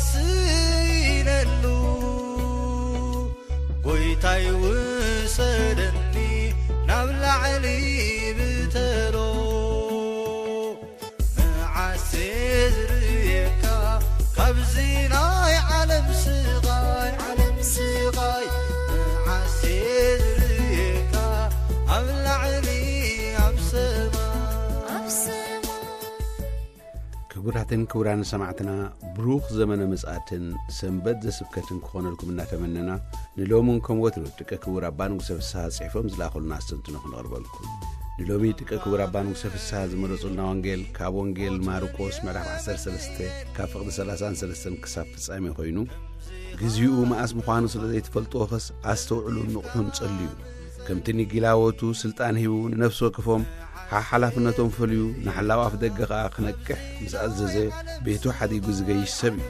ስኢነሉ ጎይታይ ውሰደኒ ናብ ላዕሊ ብተሎ መዓስ ዝርእየካ ካብዚ ናይ ዓለም ስቓይ ዓለም ስቓይ መዓስ ዝርእየካ ኣብ ላዕሊ ኣብ ሰማይ ኣብ ሰማይ። ክቡራትን ክቡራን ሰማዕትና፣ ብሩኽ ዘመነ ምጽኣትን ሰንበት ዘስብከትን ክኾነልኩም እናተመነና፣ ንሎምን ከም ወትሩ ጥቀ ክቡር ኣባ ንጉሰ ፍስሓ ጽሒፎም ዝለኣኹልና ኣስተንትኖ ክንቕርበልኩም። ንሎሚ ጥቀ ክቡር ኣባ ንጉሰ ፍስሓ ዝመረጹልና ወንጌል ካብ ወንጌል ማርቆስ ምዕራፍ ዓሰርተ ሰለስተ ካብ ፍቕዲ ሰላሳን ሰለስተን ክሳብ ፍጻሜ ኮይኑ፣ ግዜኡ መኣስ ምዃኑ ስለ ዘይትፈልጥዎ ኸስ ኣስተውዕሉን ንቕሑን ጸልዩ። ከምቲ ንጊላዎቱ ስልጣን ሂቡ ንነፍሲ ወከፎም ሓ-፣ ሓላፍነቶም ፈልዩ ንሓላው ኣፍ ደገ ኸኣ ክነቅሕ ምስ ኣዘዘ፣ ቤቱ ሓዲጉ ዝገይሽ ሰብ እዩ።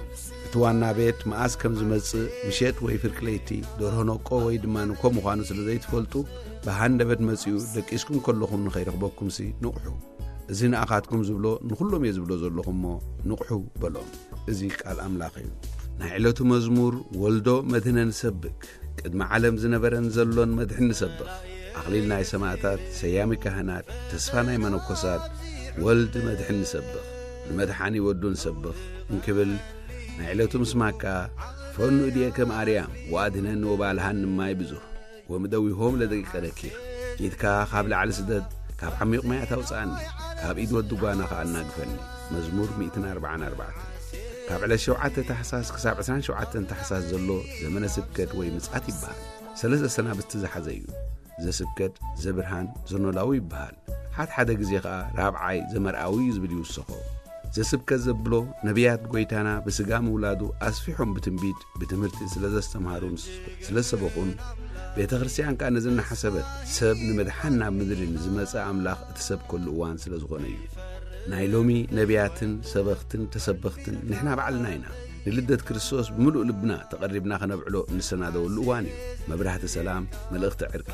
እቲ ዋና ቤት መኣስ ከም ዝመጽእ፣ ምሸት ወይ ፍርቂ ለይቲ፣ ደርሆ ነቆ ወይ ድማ ንኮ ምዃኑ ስለ ዘይትፈልጡ፣ ብሃንደበት መጺኡ ደቂስኩም ከለኹም ንኸይረኽበኩምሲ ንቕሑ። እዚ ንኣኻትኩም ዝብሎ ንኹሎም እየ ዝብሎ ዘለኹ እሞ ንቕሑ በሎም። እዚ ቃል ኣምላኽ እዩ። ናይ ዕለቱ መዝሙር ወልዶ መድህነ ንሰብክ። ቅድሚ ዓለም ዝነበረን ዘሎን መድሕን ንሰብኽ። ኣኽሊል ናይ ሰማእታት፣ ሰያሚ ካህናት፣ ተስፋ ናይ መነኮሳት፣ ወልድ መድሕን ንሰብኽ። ንመድሓኒ ወዱ ንሰብኽ እንክብል ናይ ዕለቱ ምስማካ ፈኑ እድየ ከም ኣርያም ወኣድህነኒ ወባልሃኒ ማይ ብዙህ። ወምደዊሆም ለደቂቀ ነኪር። ኢድካ ካብ ላዕሊ ስደድ፣ ካብ ዓሚቕ ማያት ኣውጽኣኒ፣ ካብ ኢድ ወዲ ጓና ኸኣ ኣናግፈኒ። መዝሙር ሚእትን ኣርባዓን ኣርባዕተን። ካብ ዕለት ሸውዓተ ታሕሳስ ክሳብ ዕስራን ሸውዓተን ታሕሳስ ዘሎ ዘመነ ስብከት ወይ ምጽኣት ይበሃል። ሰለስተ ሰናብቲ ዝሓዘ እዩ። ዘስብከት፣ ዘብርሃን፣ ዘኖላዊ ይበሃል። ሓድሓደ ግዜ ኸኣ ራብዓይ ዘመርኣዊ እዩ ዝብል ይውሰኾ። ዘስብከት ዘብሎ ነቢያት ጐይታና ብስጋ ምውላዱ ኣስፊሖም ብትንቢት፣ ብትምህርቲ ስለ ዘስተምሃሩን ስለ ዝሰበኹን፣ ቤተ ክርስቲያን ከኣ ነዚ እናሓሰበት ሰብ ንምድሓን ናብ ምድሪ ንዝመጸ ኣምላኽ እትሰብከሉ እዋን ስለ ዝኾነ እዩ። ናይ ሎሚ ነቢያትን ሰበኽትን ተሰበኽትን ንሕና ባዕልና ኢና። ንልደት ክርስቶስ ብምሉእ ልብና ተቐሪብና ከነብዕሎ እንሰናደወሉ እዋን እዩ። መብራህቲ ሰላም፣ መልእኽቲ ዕርቂ፣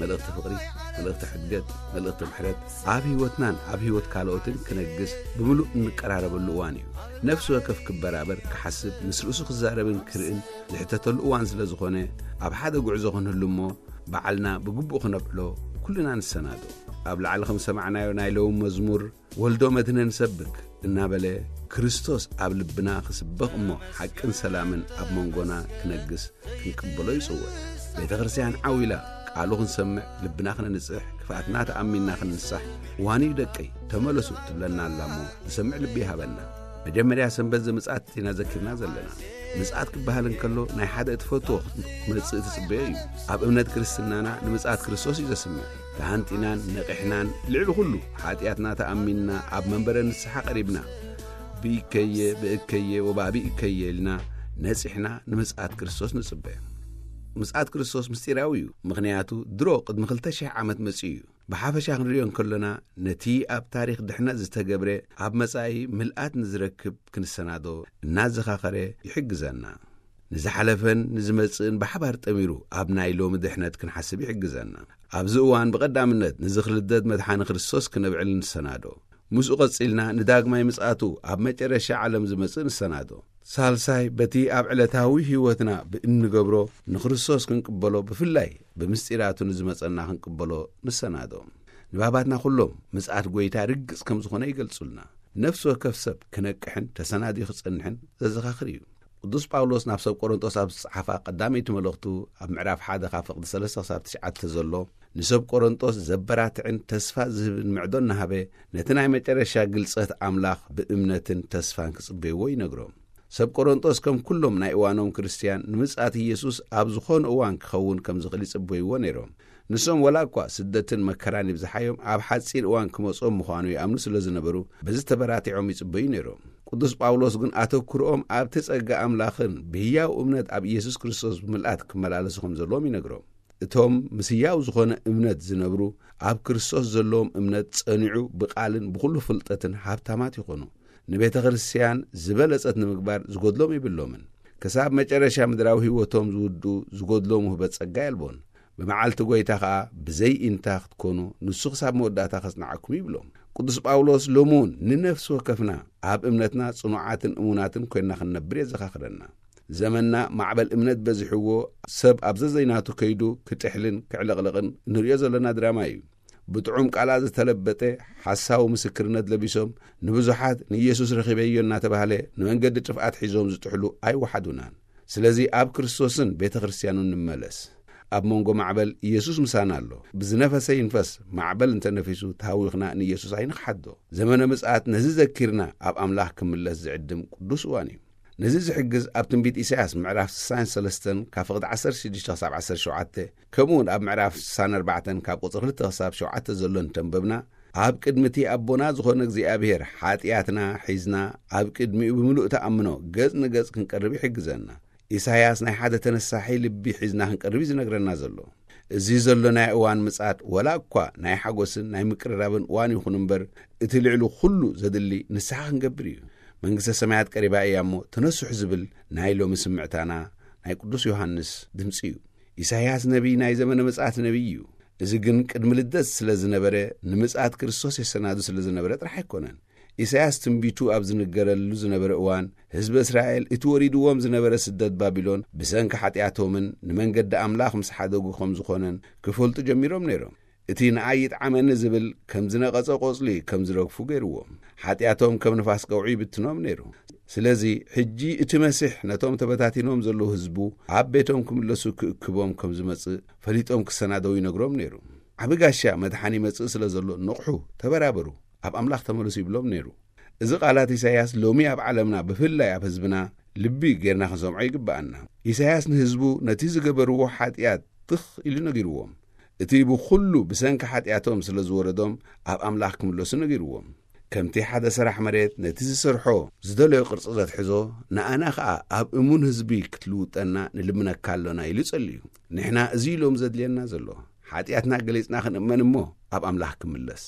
መልእኽቲ ፍቕሪ፣ መልእኽቲ ሕድገት፣ መልእኽቲ ምሕረት ኣብ ህይወትናን ኣብ ህይወት ካልኦትን ክነግስ ብምሉእ እንቀራረበሉ እዋን እዩ። ነፍሲ ወከፍ ክበራበር፣ ክሓስብ፣ ምስ ርእሱ ክዛረብን ክርእን ዝሕተተሉ እዋን ስለ ዝኾነ፣ ኣብ ሓደ ጉዕዞ ክንህሉ እሞ፣ ባዕልና ብግቡእ ክነብዕሎ ኩልና ንሰናዶ። ኣብ ላዕሊ ከም ሰማዕናዮ ናይ ሎሚ መዝሙር፣ "ወልዶ መድህነ ንሰብክ" እናበለ፣ ክርስቶስ ኣብ ልብና ክስበኽ እሞ፣ ሓቅን ሰላምን ኣብ መንጎና ክነግስ ክንቅበሎ ይጽውዕ። ቤተ ክርስቲያን ዓው ኢላ ቃሉ ክንሰምዕ፣ ልብና ክነንጽሕ፣ ክፍኣትና ተኣሚንና ክንንሳሕ፣ "ዋኒ ደቀይ፣ ተመለሱ" ትብለና ኣላ እሞ፣ ዝሰምዕ ልቢ ይሃበና። መጀመርያ ሰንበት ዘምጽኣት ኢና ዘኪርና ዘለና። ምጽኣት ክበሃል እንከሎ፣ ናይ ሓደ እትፈትዎ ክትመጽእ ትጽበዮ እዩ። ኣብ እምነት ክርስትናና ንምጽኣት ክርስቶስ እዩ ዘስምዕ። ተሃንጢናን ነቒሕናን፣ ልዕሊ ኩሉ ሓጢኣትና ተኣሚንና፣ ኣብ መንበረ ንስሓ ቀሪብና፣ "ብኢከየ፣ ብእከየ፣ ወባቢእከየ" ኢልና ነጺሕና ንምጽኣት ክርስቶስ ንጽበ። ምጽኣት ክርስቶስ ምስጢራዊ እዩ፣ ምኽንያቱ ድሮ ቅድሚ ክልተ ሽሕ ዓመት መጺኡ እዩ። ብሓፈሻ ክንሪኦ እንከሎና፣ ነቲ ኣብ ታሪኽ ድሕነት ዝተገብረ ኣብ መጻኢ ምልኣት ንዝረክብ ክንሰናዶ እናዘኻኸረ ይሕግዘና። ንዝሓለፈን ንዝመጽእን ብሓባር ጠሚሩ ኣብ ናይ ሎሚ ድሕነት ክንሓስብ ይሕግዘና። ኣብዚ እዋን ብቐዳምነት ንዝኽሪ ልደት መድሓኒ ክርስቶስ ክነብዕል ንሰናዶ። ምስኡ ቀጺልና ንዳግማይ ምጽኣቱ ኣብ መጨረሻ ዓለም ዝመጽእ ንሰናዶ። ሳልሳይ፣ በቲ ኣብ ዕለታዊ ህይወትና ብእንገብሮ ንክርስቶስ ክንቅበሎ፣ ብፍላይ ብምስጢራቱ ንዝመጸና ክንቅበሎ ንሰናዶ። ንባባትና ኩሎም ምጽኣት ጐይታ ርግጽ ከም ዝኾነ ይገልጹልና። ነፍሲ ወከፍ ሰብ ክነቅሕን ተሰናዲኡ ክጸንሕን ዘዘኻኽር እዩ። ቅዱስ ጳውሎስ ናብ ሰብ ቆሮንጦስ ኣብ ዝጸሓፋ ቀዳመይቲ መልእኽቱ ኣብ ምዕራፍ ሓደ ካብ ፍቕዲ ሰለስተ ክሳብ ትሽዓተ ዘሎ ንሰብ ቆሮንጦስ ዘበራትዕን ተስፋ ዝህብን ምዕዶ እናሃበ፣ ነቲ ናይ መጨረሻ ግልጸት ኣምላኽ ብእምነትን ተስፋን ክጽበይዎ ይነግሮም። ሰብ ቆሮንጦስ ከም ኩሎም ናይ እዋኖም ክርስትያን ንምጽኣት ኢየሱስ ኣብ ዝኾነ እዋን ክኸውን ከም ዝኽእል ይጽበይዎ ነይሮም። ንሶም ወላ እኳ ስደትን መከራን ይብዝሓዮም፣ ኣብ ሓጺር እዋን ክመጾም ምዃኑ ይኣምኑ ስለ ዝነበሩ፣ በዚ ተበራቲዖም ይጽበዩ ነይሮም። ቅዱስ ጳውሎስ ግን ኣተኩሮኦም ኣብቲ ጸጋ ኣምላኽን ብህያው እምነት ኣብ ኢየሱስ ክርስቶስ ብምልኣት ክመላለሱ ከም ዘለዎም ይነግሮም። እቶም ምስ ህያው ዝኾነ እምነት ዝነብሩ፣ ኣብ ክርስቶስ ዘለዎም እምነት ጸኒዑ ብቓልን ብኹሉ ፍልጠትን ሃብታማት ይኾኑ። ንቤተ ክርስትያን ዝበለጸት ንምግባር ዝጎድሎም የብሎምን። ክሳብ መጨረሻ ምድራዊ ህይወቶም ዝውድኡ ዝጎድሎም ውህበት ጸጋ የልቦን። ብመዓልቲ ጐይታ ኸኣ ብዘይ ኢንታ ክትኮኑ፣ ንሱ ክሳብ መወዳእታ ከጽንዓኩም ይብሎም። ቅዱስ ጳውሎስ ሎሚ እውን ንነፍሲ ወከፍና ኣብ እምነትና ጽኑዓትን እሙናትን ኮይንና ክንነብር የዘኻኽረና። ዘመንና ማዕበል እምነት በዚሕዎ፣ ሰብ ኣብ ዘዘይናቱ ከይዱ ክጥሕልን ክዕለቕለቕን ንርእዮ ዘለና ድራማ እዩ። ብጥዑም ቃላት ዝተለበጠ ሓሳዊ ምስክርነት ለቢሶም፣ ንብዙሓት ንኢየሱስ ረኺበዮ እናተባህለ ንመንገዲ ጥፍኣት ሒዞም ዝጥሕሉ ኣይወሓዱናን። ስለዚ ኣብ ክርስቶስን ቤተ ክርስቲያኑን ንመለስ። ኣብ መንጎ ማዕበል ኢየሱስ ምሳና ኣሎ። ብዝነፈሰ ይንፈስ፣ ማዕበል እንተነፊሱ ተሃዊኽና ንኢየሱስ ኣይንኽሓዶ። ዘመነ ምጽኣት ነዚ ዘኪርና ኣብ ኣምላኽ ክምለስ ዝዕድም ቅዱስ እዋን እዩ። ነዚ ዝሕግዝ ኣብ ትንቢት ኢሳያስ ምዕራፍ ስሳን ሰለስተን ካብ ፍቕዲ ዓሰርተ ሽዱሽተ ክሳብ ዓሰርተ ሸውዓተ፣ ከምኡ እውን ኣብ ምዕራፍ ስሳን ኣርባዕተን ካብ ቁጽሪ ክልተ ክሳብ ሸውዓተ ዘሎ እንተንበብና፣ ኣብ ቅድሚ እቲ ኣቦና ዝኾነ እግዚኣብሔር ሓጢኣትና ሒዝና ኣብ ቅድሚኡ ብምሉእ ተኣምኖ ገጽ ንገጽ ክንቀርብ ይሕግዘና። ኢሳያስ ናይ ሓደ ተነሳሒ ልቢ ሒዝና ክንቀርብ እዩ ዝነግረና ዘሎ። እዚ ዘሎ ናይ እዋን ምጽኣት ወላ እኳ ናይ ሓጎስን ናይ ምቅርራብን እዋን ይኹን እምበር፣ እቲ ልዕሊ ኩሉ ዘድሊ ንስሓ ክንገብር እዩ። መንግስተ ሰማያት ቀሪባ እያ እሞ ተነስሑ ዝብል ናይ ሎሚ ስምዕታና ናይ ቅዱስ ዮሃንስ ድምጺ እዩ። ኢሳያስ ነቢይ ናይ ዘመነ ምጽኣት ነቢይ እዩ። እዚ ግን ቅድሚ ልደት ስለ ዝነበረ፣ ንምጽኣት ክርስቶስ የሰናዱ ስለ ዝነበረ ጥራሕ ኣይኮነን። ኢሳያስ ትንቢቱ ኣብ ዝንገረሉ ዝነበረ እዋን፣ ህዝቢ እስራኤል እቲ ወሪድዎም ዝነበረ ስደት ባቢሎን ብሰንኪ ሓጢኣቶምን ንመንገዲ ኣምላኽ ምስ ሓደጉ ከም ዝኾነን ክፈልጡ ጀሚሮም ነይሮም። እቲ ንኣይ ይጥዓመኒ ዝብል ከም ዝነቐጸ ቆጽሊ ከም ዝረግፉ ገይርዎም። ሓጢኣቶም ከም ንፋስ ቀውዒ ይብትኖም ነይሩ። ስለዚ ሕጂ እቲ መሲሕ ነቶም ተበታቲኖም ዘለዉ ህዝቡ ኣብ ቤቶም ክምለሱ ክእክቦም ከም ዝመጽእ ፈሊጦም ክሰናደው ይነግሮም ነይሩ። ዓቢ ጋሻ መድሓኒ ይመጽእ ስለ ዘሎ ንቕሑ፣ ተበራበሩ፣ ኣብ ኣምላኽ ተመለሱ ይብሎም ነይሩ። እዚ ቃላት ኢሳይያስ ሎሚ ኣብ ዓለምና ብፍላይ ኣብ ህዝብና ልቢ ጌርና ክንሰምዖ ይግብኣና። ኢሳይያስ ንህዝቡ ነቲ ዝገበርዎ ሓጢኣት ትኽ ኢሉ ነጊርዎም። እቲ ብኹሉ ብሰንኪ ሓጢኣቶም ስለ ዝወረዶም ኣብ ኣምላኽ ክምለሱ ነጊርዎም። ከምቲ ሓደ ሰራሕ መሬት ነቲ ዝሰርሖ ዝደለዮ ቅርጺ ዘትሕዞ፣ ንኣና ኸኣ ኣብ እሙን ህዝቢ ክትልውጠና ንልምነካ ኣሎና ኢሉ ጸልዩ። ንሕና እዚ ኢሎም ዘድልየና ዘሎ፣ ሓጢኣትና ገሊጽና ክንእመን እሞ ኣብ ኣምላኽ ክምለስ።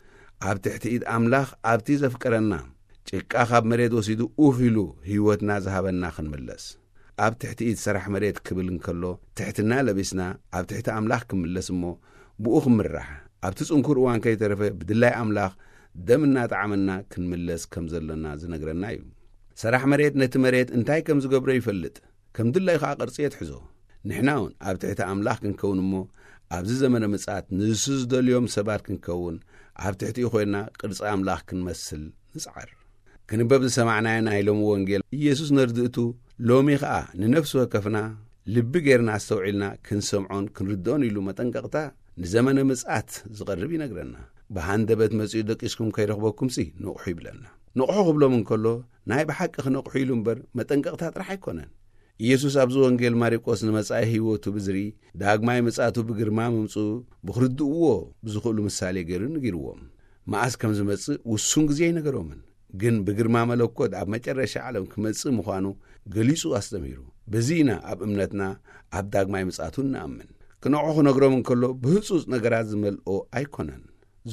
ኣብ ትሕቲ ኢድ ኣምላኽ ኣብቲ ዘፍቀረና፣ ጭቃ ካብ መሬት ወሲዱ ኡፍ ኢሉ ህይወትና ዝሃበና ክንምለስ። ኣብ ትሕቲ ኢድ ሰራሕ መሬት ክብል እንከሎ፣ ትሕትና ለቢስና ኣብ ትሕቲ ኣምላኽ ክምለስ እሞ ብኡ ክምራሕ፣ ኣብቲ ጽንኩር እዋን ከይተረፈ ብድላይ ኣምላኽ ደም እናጠዓመና ክንምለስ ከም ዘሎና ዝነግረና እዩ። ሰራሕ መሬት ነቲ መሬት እንታይ ከም ዝገብሮ ይፈልጥ፣ ከም ድላዩ ኸኣ ቅርጺ የትሕዞ። ንሕና እውን ኣብ ትሕቲ ኣምላኽ ክንከውን እሞ፣ ኣብዚ ዘመነ ምጽኣት ንሱ ዝደልዮም ሰባት ክንከውን፣ ኣብ ትሕቲኡ ኮይንና ቅርጺ ኣምላኽ ክንመስል ንጽዓር። ክንበብ ዝሰማዕናዮ ናይ ሎሚ ወንጌል፣ ኢየሱስ ነርድእቱ፣ ሎሚ ኸኣ ንነፍሲ ወከፍና ልቢ ጌርና ኣስተውዒልና ክንሰምዖን ክንርድኦን ኢሉ መጠንቀቕታ ንዘመነ ምጽኣት ዝቐርብ ይነግረና። ብሃንደበት መጺኡ ደቂስኩም ከይረኽበኩምሲ ንቕሑ ይብለና። ንቕሑ ክብሎም እንከሎ፣ ናይ ብሓቂ ክነቕሑ ኢሉ እምበር መጠንቀቕታ ጥራሕ ኣይኮነን። ኢየሱስ ኣብዚ ወንጌል ማርቆስ ንመጻኢ ህይወቱ ብዝርኢ፣ ዳግማይ ምጽኣቱ ብግርማ ምምጽኡ ብኽርድእዎ ብዝኽእሉ ምሳሌ ገይሩ ነጊርዎም። መኣስ ከም ዝመጽእ ውሱን ግዜ ኣይነገሮምን። ግን ብግርማ መለኮት ኣብ መጨረሻ ዓለም ክመጽእ ምዃኑ ገሊጹ ኣስተምሂሩ። በዚ ኢና ኣብ እምነትና ኣብ ዳግማይ ምጽኣቱ እንኣምን። ክንዕቑ ክነግሮም እንከሎ ብህጹጽ ነገራት ዝመልኦ ኣይኮነን።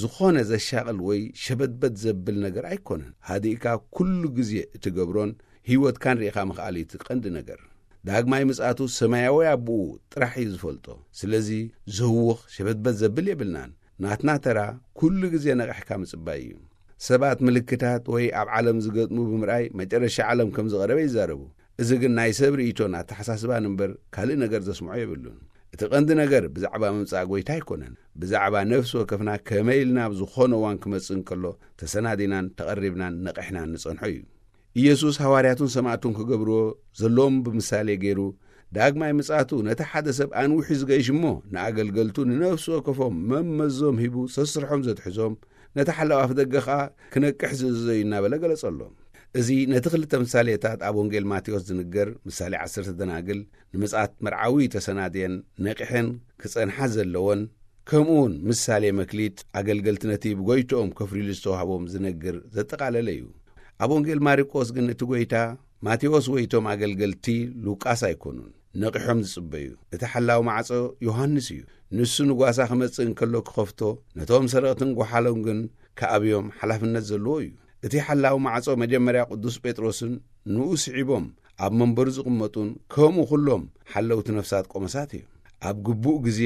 ዝኾነ ዘሻቕል ወይ ሸበድበድ ዘብል ነገር ኣይኮነን። ሃዲእካ ኩሉ ግዜ እትገብሮን ህይወትካን ርኢኻ ምኽኣል እዩ እቲ ቀንዲ ነገር። ዳግማይ ምጽኣቱ ሰማያዊ ኣቦኡ ጥራሕ እዩ ዝፈልጦ። ስለዚ ዘህውኽ ሸበድበድ ዘብል የብልናን። ናትና ተራ ኩሉ ግዜ ነቒሕካ ምጽባይ እዩ። ሰባት ምልክታት ወይ ኣብ ዓለም ዝገጥሙ ብምርኣይ መጨረሻ ዓለም ከም ዝቐረበ ይዛረቡ። እዚ ግን ናይ ሰብ ርእይቶን ኣተሓሳስባን እምበር ካልእ ነገር ዘስምዖ የብሉን። እቲ ቀንዲ ነገር ብዛዕባ ምምጻእ ጐይታ ኣይኮነን። ብዛዕባ ነፍሲ ወከፍና ከመይ ኢልና ኣብ ዝኾነ እዋን ክመጽእ እንከሎ ተሰናዲናን ተቐሪብናን ነቒሕናን ንጸንሖ እዩ። ኢየሱስ ሃዋርያቱን ሰማዕቱን ክገብርዎ ዘለዎም ብምሳሌ ገይሩ፣ ዳግማይ ምጽኣቱ ነቲ ሓደ ሰብ ኣንዊሑ ዝገይሽ እሞ፣ ንኣገልገልቱ ንነፍሲ ወከፎም መመዞም ሂቡ ሰስርሖም ዘትሕዞም፣ ነቲ ሓላው ኣፍ ደገ ኸኣ ክነቅሕ ዝእዝዞ እዩ እናበለ ገለጸሎም። እዚ ነቲ ክልተ ምሳሌታት ኣብ ወንጌል ማቴዎስ ዝንገር ምሳሌ ዓሰርተ ደናግል፣ ንምጽኣት መርዓዊ ተሰናድየን ነቂሐን ክጸንሓ ዘለወን፣ ከምኡውን ምሳሌ መክሊት ኣገልገልቲ ነቲ ብጎይትኦም ከፍርይሉ ዝተዋህቦም ዝነግር ዘጠቓለለ እዩ። ኣብ ወንጌል ማርቆስ ግን እቲ ጎይታ ማቴዎስ ወይ እቶም ኣገልገልቲ ሉቃስ ኣይኮኑን ነቒሖም ዝጽበዩ። እቲ ሓላዊ ማዕጾ ዮሃንስ እዩ። ንሱ ንጓሳ ክመጽእ እንከሎ ክኸፍቶ፣ ነቶም ሰረቕትን ጓሓሎም ግን ክኣብዮም ሓላፍነት ዘለዎ እዩ። እቲ ሓላዊ ማዕጾ መጀመርያ ቅዱስ ጴጥሮስን ንኡ ስዒቦም ኣብ መንበሩ ዝቕመጡን ከምኡ ኩሎም ሓለውቲ ነፍሳት ቆመሳት እዮም። ኣብ ግቡእ ግዜ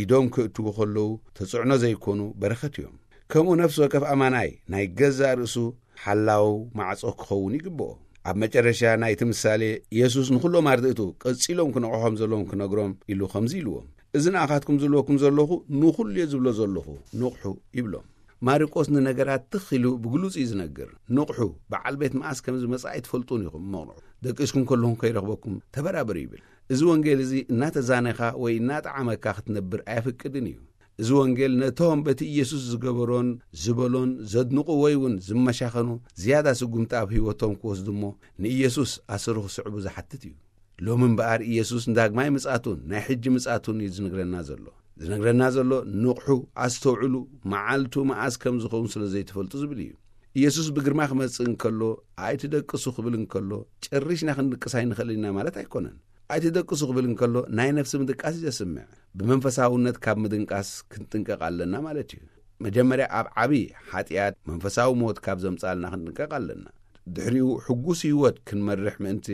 ኢዶም ክእትዉ ከለዉ ተጽዕኖ ዘይኮኑ በረኸት እዮም። ከምኡ ነፍሲ ወከፍ ኣማናይ ናይ ገዛእ ርእሱ ሓላው ማዕጾ ክኸውን ይግብኦ። ኣብ መጨረሻ ናይቲ ምሳሌ፣ የሱስ ንኹሎም ኣርድእቱ ቀጺሎም ክነቕሖም ዘለዎም ክነግሮም ኢሉ ከምዚ ኢልዎም፣ "እዚ ንኣኻትኩም ዝብለኩም ዘለኹ ንኹሉ እየ ዝብሎ ዘለኹ፣ ንቕሑ" ይብሎም። ማርቆስ ንነገራት ትኽ ኢሉ ብግሉጽ እዩ ዝነግር። "ንቕሑ፣ በዓል ቤት መኣስ ከም ዝመጽእ ኣይትፈልጡን ኢኹም እሞ ንቕሑ። ደቂስኩም ከለኹም ከይረኽበኩም ተበራበሩ" ይብል። እዚ ወንጌል እዚ እናተዛነኻ ወይ እናጠዓመካ ክትነብር ኣየፍቅድን እዩ። እዚ ወንጌል ነቶም በቲ ኢየሱስ ዝገበሮን ዝበሎን ዘድንቑ ወይ እውን ዝመሻኸኑ ዝያዳ ስጉምቲ ኣብ ህይወቶም ክወስዱ እሞ ንኢየሱስ ኣሰሩ ክስዕቡ ዝሓትት እዩ። ሎሚ እምበኣር ኢየሱስ ንዳግማይ ምጽኣቱን ናይ ሕጂ ምጽኣቱን እዩ ዝነግረና ዘሎ። ዝነግረና ዘሎ ንቕሑ፣ ኣስተውዕሉ፣ መዓልቱ መኣስ ከም ዝኸውን ስለ ዘይትፈልጡ ዝብል እዩ። ኢየሱስ ብግርማ ክመጽእ እንከሎ፣ ኣይትደቅሱ ክብል እንከሎ፣ ጨሪሽና ክንድቅስ ኣይንኽእልን ኢና ማለት ኣይኮነን። ኣይትደቅሱ ክብል እንከሎ፣ ናይ ነፍሲ ምድቃስ እዩ ዘስምዕ። ብመንፈሳውነት ካብ ምድንቃስ ክንጥንቀቕ ኣለና ማለት እዩ። መጀመርያ ኣብ ዓቢ ሓጢኣት መንፈሳዊ ሞት ካብ ዘምጻልና ክንጥንቀቕ ኣለና። ድሕሪኡ ሕጉስ ህይወት ክንመርሕ ምእንቲ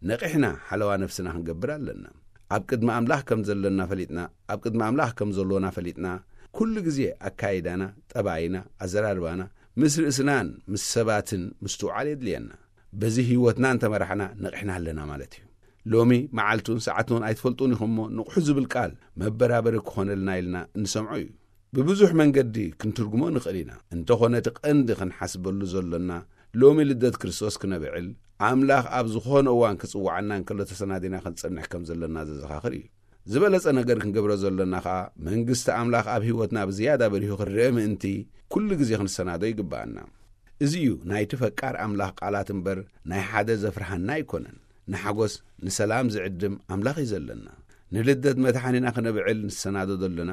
ነቒሕና ሓለዋ ነፍስና ክንገብር ኣለና። ኣብ ቅድሚ ኣምላኽ ከም ዘለና ፈሊጥና፣ ኣብ ቅድሚ ኣምላኽ ከም ዘሎና ፈሊጥና፣ ኩሉ ግዜ ኣካይዳና፣ ጠባይና፣ ኣዘራርባና ምስ ርእስናን ምስ ሰባትን ምስትውዓል የድልየና። በዚ ህይወትና እንተመራሕና ነቒሕና ኣለና ማለት እዩ። ሎሚ መዓልቱን ሰዓቱን ኣይትፈልጡን ኢኹም እሞ ንቕሑ ዝብል ቃል መበራበሪ ክኾነልና ኢልና እንሰምዖ እዩ። ብብዙሕ መንገዲ ክንትርጉሞ ንኽእል ኢና። እንተኾነ እቲ ቀንዲ ክንሓስበሉ ዘሎና ሎሚ ልደት ክርስቶስ ክነብዕል ኣምላኽ ኣብ ዝኾነ እዋን ክጽውዓና እንከሎ ተሰናዲና ክንጸንሕ ከም ዘለና ዘዘኻኽር እዩ። ዝበለጸ ነገር ክንገብሮ ዘሎና ኸኣ መንግስቲ ኣምላኽ ኣብ ህይወትና ብዝያዳ በሪሁ ክረአ ምእንቲ ኩሉ ግዜ ክንሰናዶ ይግብኣና። እዚ እዩ ናይቲ ፈቃር ኣምላኽ ቃላት እምበር ናይ ሓደ ዘፍርሃና ኣይኮነን። ንሓጎስ ንሰላም ዝዕድም ኣምላኽ እዩ ዘለና። ንልደት መድሓኒና ክነብዕል ንሰናዶ ዘሎና፣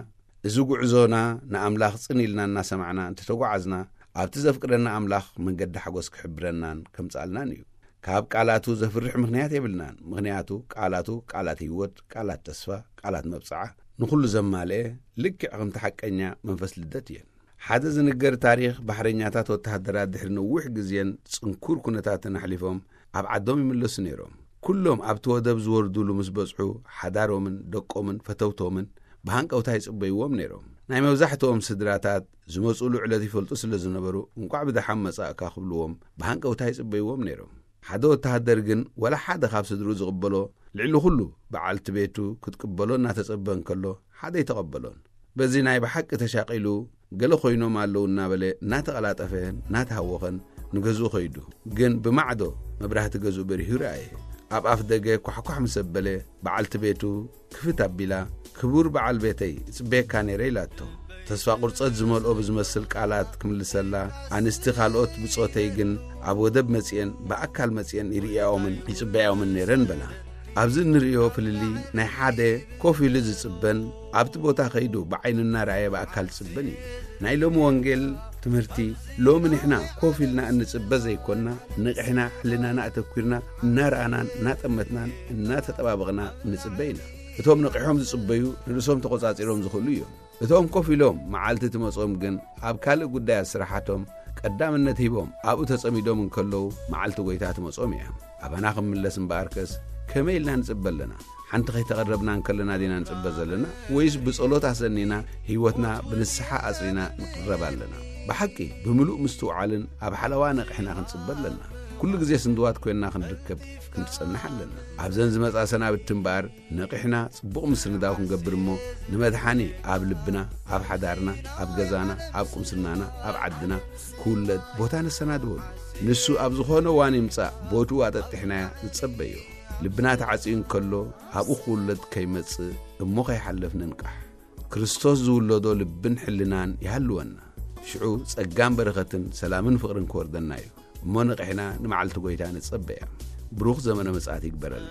እዚ ጉዕዞና ንኣምላኽ ጽን ኢልና እናሰማዕና እንተተጓዓዝና፣ ኣብቲ ዘፍቅረና ኣምላኽ መንገዲ ሓጎስ ክሕብረናን ከምጽኣልናን እዩ። ካብ ቃላቱ ዘፍርሕ ምኽንያት የብልናን። ምኽንያቱ ቃላቱ ቃላት ህይወት፣ ቃላት ተስፋ፣ ቃላት መብጽዓ፣ ንኹሉ ዘማልአ፣ ልክዕ ከምቲ ሓቀኛ መንፈስ ልደት እየን። ሓደ ዝንገር ታሪኽ፣ ባሕረኛታት ወተሃደራት ድሕሪ ነዊሕ ግዜን ጽንኩር ኩነታትን ኣሕሊፎም ኣብ ዓዶም ይምለሱ ነይሮም። ኩሎም ኣብቲ ወደብ ዝወርዱሉ ምስ በጽሑ፣ ሓዳሮምን ደቆምን ፈተውቶምን ብሃንቀውታ ይጽበይዎም ነይሮም። ናይ መብዛሕትኦም ስድራታት ዝመጽኡሉ ዕለት ይፈልጡ ስለ ዝነበሩ፣ "እንቋዕ ብደሓን መጻእካ" ክብልዎም ብሃንቀውታ ይጽበይዎም ነይሮም። ሓደ ወተሃደር ግን፣ ወላ ሓደ ካብ ስድርኡ ዝቕበሎ፣ ልዕሊ ኩሉ በዓልቲ ቤቱ ክትቅበሎ እናተጸበ እንከሎ፣ ሓደ ኣይተቐበሎን። በዚ ናይ ብሓቂ ተሻቒሉ፣ "ገለ ኮይኖም ኣለዉ" እናበለ እናተቐላጠፈን እናተሃወኸን ንገዝኡ ከይዱ። ግን ብማዕዶ መብራህቲ ገዝኡ በሪሁ ረኣየ። ኣብ ኣፍ ደገ ኳሕኳሕ ምስ ኣበለ፣ በዓልቲ ቤቱ ክፍት ኣቢላ፣ "ክቡር በዓል ቤተይ፣ እጽበየካ ነይረ" ኢላቶ። ተስፋ ቁርጸት ዝመልኦ ብዝመስል ቃላት ክምልሰላ፣ ኣንስቲ ካልኦት ብጾተይ ግን ኣብ ወደብ መጺኤን፣ ብኣካል መጺኤን ይርእያኦምን ይጽበያኦምን ነይረን በላ። ኣብዚ እንርእዮ ፍልልይ ናይ ሓደ ኮፍ ኢሉ ዝጽበን ኣብቲ ቦታ ከይዱ ብዓይኑ እናረኣየ ብኣካል ዝጽበን እዩ። ናይ ሎሚ ወንጌል ትምህርቲ፣ ሎሚ ንሕና ኮፍ ኢልና እንጽበ ዘይኮንና፣ ንቕሕና ሕልናና ኣተኲርና እናረኣናን እናጠመትናን እናተጠባበቕና ንጽበ ኢና። እቶም ነቒሖም ዝጽበዩ ንርእሶም ተቖጻጺሮም ዝኽእሉ እዮም። እቶም ኮፍ ኢሎም መዓልቲ ትመጾም ግን ኣብ ካልእ ጉዳያት ስራሓቶም ቀዳምነት ሂቦም ኣብኡ ተጸሚዶም እንከለዉ መዓልቲ ጎይታ ትመጾም እያ። ኣባና ክምለስ እምበኣርከስ ከመይ ኢልና ንጽበ ኣለና? ሓንቲ ከይተቐረብና እንከለና ዲና ንጽበ ዘለና? ወይስ ብጸሎት ኣሰኒና ህይወትና ብንስሓ ኣጽሪና ንቕረብ ኣለና? ብሓቂ ብምሉእ ምስትውዓልን ኣብ ሓለዋ ነቕሕና ክንጽበ ኣለና። ኩሉ ግዜ ስንድዋት ኮይንና ክንርከብ ክንጸንሕ ኣለና። ኣብዘን ዝመጻ ሰናብቲ እምበኣር ነቒሕና ጽቡቕ ምስንዳው ክንገብር እሞ፣ ንመድሓኒ ኣብ ልብና፣ ኣብ ሓዳርና፣ ኣብ ገዛና፣ ኣብ ቁምስናና፣ ኣብ ዓድና ክውለድ ቦታ ነሰናድወሉ። ንሱ ኣብ ዝኾነ እዋን ይምጻእ፣ ቦትኡ ኣጠጢሕናዮ ንጸበዮ። ልብና ተዓጽዩ እንከሎ፣ ኣብኡ ክውለድ ከይመጽእ እሞ ከይሓልፍ ንንቃሕ። ክርስቶስ ዝውለዶ ልብን ሕልናን ይሃልወና። ሽዑ ጸጋን በረኸትን ሰላምን ፍቕርን ክወርደና እዩ። እሞ ነቒሕና ንመዓልቲ ጐይታ ንጸበያ። ብሩኽ ዘመነ ምጽኣት ይግበረልና።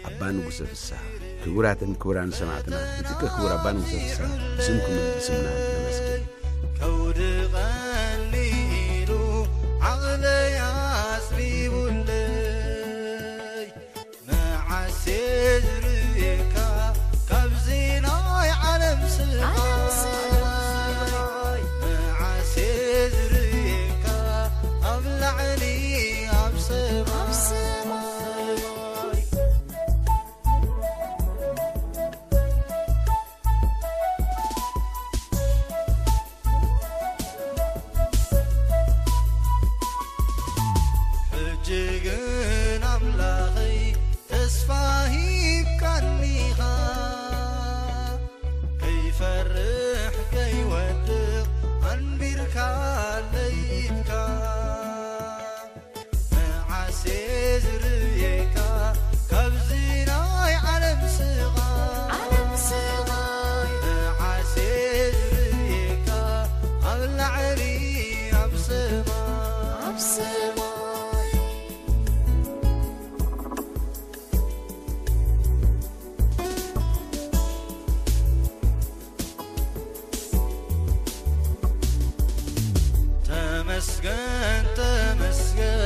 ኣባ ንጉሰ ፍስሃ። ክቡራትን ክቡራን ሰማዕትና፣ ንጥቀ ክቡር ኣባ ንጉሰ ፍስሃ ብስምኩምን ብስምና ነመስግን። ከውዲ ቀሊሉ ዓቕለይ ኣጽቢቡለይ፣ መዓስ ዝርእየካ ካብዚ ናይ ዓለም ስቓይ፣ መዓስ ዝርእየካ ኣብ ላዕሊ ኣብ ሰማይ። ተመስገን ተመስገን